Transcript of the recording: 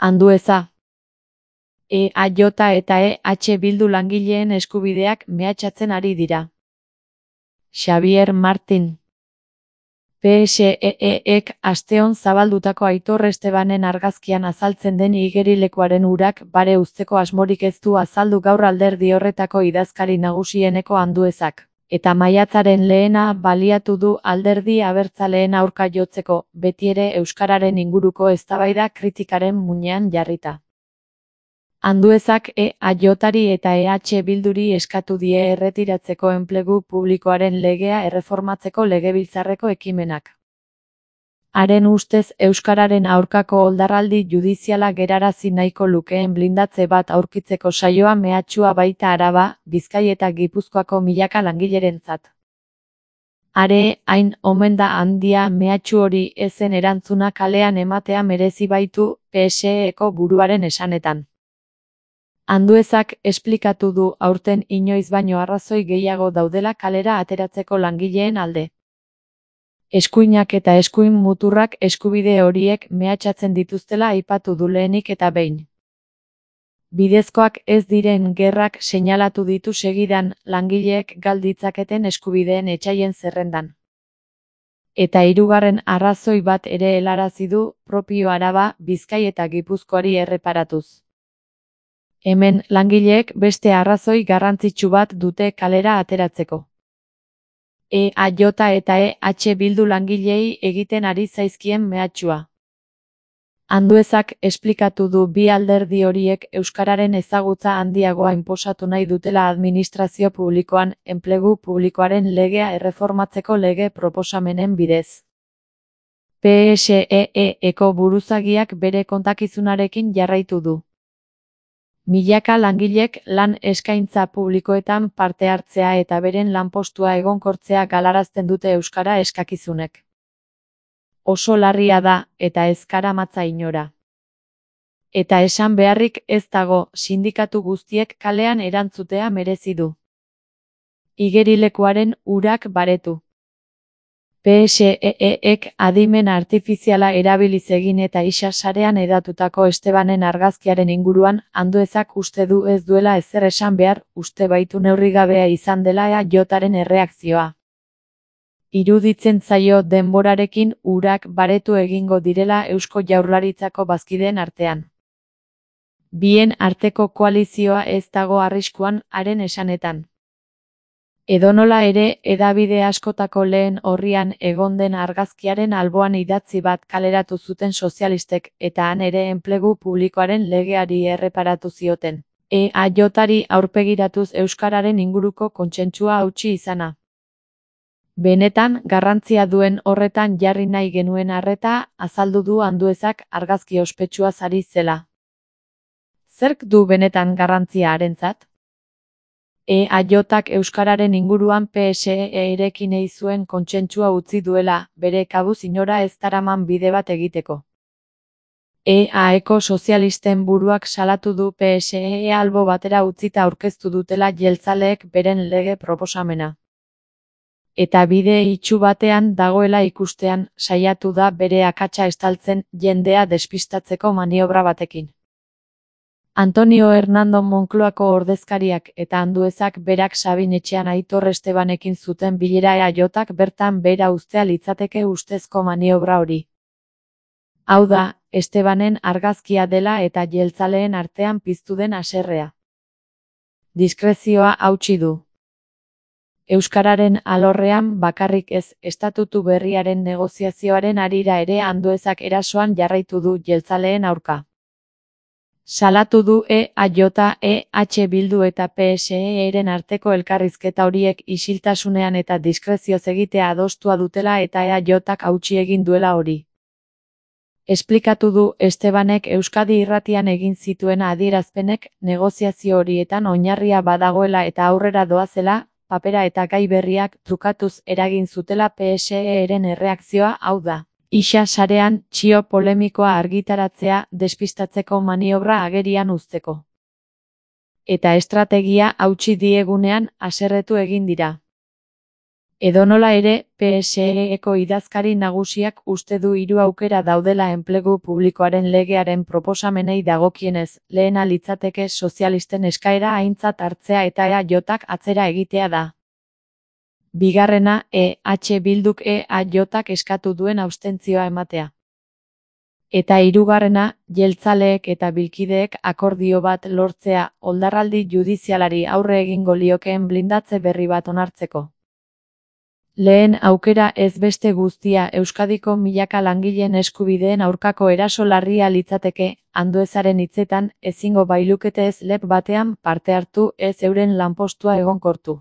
Andueza. EAJ eta EH Bildu langileen eskubideak mehatxatzen ari dira. Xabier Martin. PSEEek asteon zabaldutako Aitor Estebanen argazkian azaltzen den igerilekuaren urak bare uzteko asmorik ez du azaldu gaur alderdi horretako idazkari nagusieneko Anduezak, eta maiatzaren 1 baliatu du alderdi abertzaleen aurka jotzeko, betiere euskararen inguruko eztabaida kritikaren muinean jarrita. Anduezak EAJari eta EH Bilduri eskatu die erretiratzeko enplegu publikoaren legea erreformatzeko legebiltzarreko ekimenak. Haren ustez euskararen aurkako oldarraldi judiziala gerarazi nahiko lukeen blindatze bat aurkitzeko saioa mehatxua baita Araba, Bizkai eta Gipuzkoako milaka langilerentzat. Are, hain omen da handia mehatxu hori ezen erantzuna kalean ematea merezi baitu PSEeko buruaren esanetan. Anduezak esplikatu du aurten inoiz baino arrazoi gehiago daudela kalera ateratzeko langileen alde. Eskuinak eta eskuin muturrak eskubide horiek mehatxatzen dituztela aipatu du lehenik eta behin. Bidezkoak ez diren gerrak seinalatu ditu segidan langileek gal ditzaketen eskubideen etsaien zerrendan. Eta hirugarren arrazoi bat ere helarazi du propio Araba, Bizkai eta Gipuzkoari erreparatuz. Hemen langileek beste arrazoi garrantzitsu bat dute kalera ateratzeko. EAJ eta EH Bildu langileei egiten ari zaizkien mehatxua. Anduezak esplikatu du bi alderdi horiek euskararen ezagutza handiagoa inposatu nahi dutela administrazio publikoan enplegu publikoaren legea erreformatzeko lege proposamenen bidez. PSEEeko buruzagiak bere kontakizunarekin jarraitu du. Milaka langilek lan eskaintza publikoetan parte hartzea eta beren lanpostua egonkortzea galarazten dute euskara eskakizunek. Oso larria da, eta ez karamatza inora. Eta esan beharrik ez dago, sindikatu guztiek kalean erantzutea merezi du. Igerilekuaren urak baretu. PSEEek adimen artifiziala erabiliz egin eta isa sarean edatutako Estebanen argazkiaren inguruan Anduezak uste du ez duela ezer esan behar, uste baitu neurrigabea izan dela EAJaren erreakzioa. Iruditzen zaio denborarekin urak baretu egingo direla Eusko Jaurlaritzako bazkideen artean. Bien arteko koalizioa ez dago arriskuan haren esanetan. Edonola ere, hedabide askotako lehen orrian egon den argazkiaren alboan idatzi bat kaleratu zuten sozialistek, eta han ere enplegu publikoaren legeari erreparatu zioten. EAJari aurpegiratuz euskararen inguruko kontsentsua hautsi izana. Benetan, garrantzia duen horretan jarri nahi genuen arreta, azaldu du Anduezak argazki ospetsua ari zela. Zerk du benetan garrantzia harentzat? EAJak euskararen inguruan PSEerekin ei zuen kontsentsua utzi duela, bere kabuz inora ez daraman bide bat egiteko. EAeko sozialisten buruak salatu du PSE albo batera utzita aurkeztu dutela jeltzaleek beren lege proposamena. Eta bide itsu batean dagoela ikustean, saiatu da bere akatsa estaltzen jendea despistatzeko maniobra batekin. Antonio Hernando Moncloako ordezkariak eta Anduezak berak Sabin etxean Aitor Estebanekin zuten bilera EAJak bertan behera uztea litzateke ustezko maniobra hori. Hau da, Estebanen argazkia dela eta jeltzaleen artean piztu den haserrea. Diskrezioa hautsi du. Euskararen alorrean bakarrik ez, estatutu berriaren negoziazioaren harira ere Anduezak erasoan jarraitu du jeltzaleen aurka. Salatu du EAJ, EH Bildu eta PSEeren arteko elkarrizketa horiek isiltasunean eta diskrezioz egitea adostua dutela eta EAJak hautsi egin duela hori. Esplikatu du Estebanek Euskadi Irratian egin zituen adierazpenek negoziazio horietan oinarria badagoela eta aurrera doazela, papera eta gai berriak trukatuz eragin zutela PSEeren erreakzioa hau da. Isa sarean txio polemikoa argitaratzea despistatzeko maniobra agerian uzteko. Eta estrategia hautsi diegunean haserretu egin dira. Edonola ere, PSE-eko idazkari nagusiak uste du hiru aukera daudela enplegu publikoaren legearen proposamenei dagokienez, lehena litzateke sozialisten eskaera aintzat hartzea eta EAJak atzera egitea da. Bigarrena, Bilduk EAJak eskatu duen abstentzioa ematea. Eta hirugarrena, jeltzaleek eta bilkideek akordio bat lortzea, oldarraldi judizialari aurre egingo liokeen blindatze berri bat onartzeko. Lehen aukera ez beste guztia Euskadiko milaka langileen eskubideen aurkako eraso larria litzateke, Anduezaren hitzetan, ezingo bailukete ez lep batean parte hartu ez euren lanpostua egonkortu.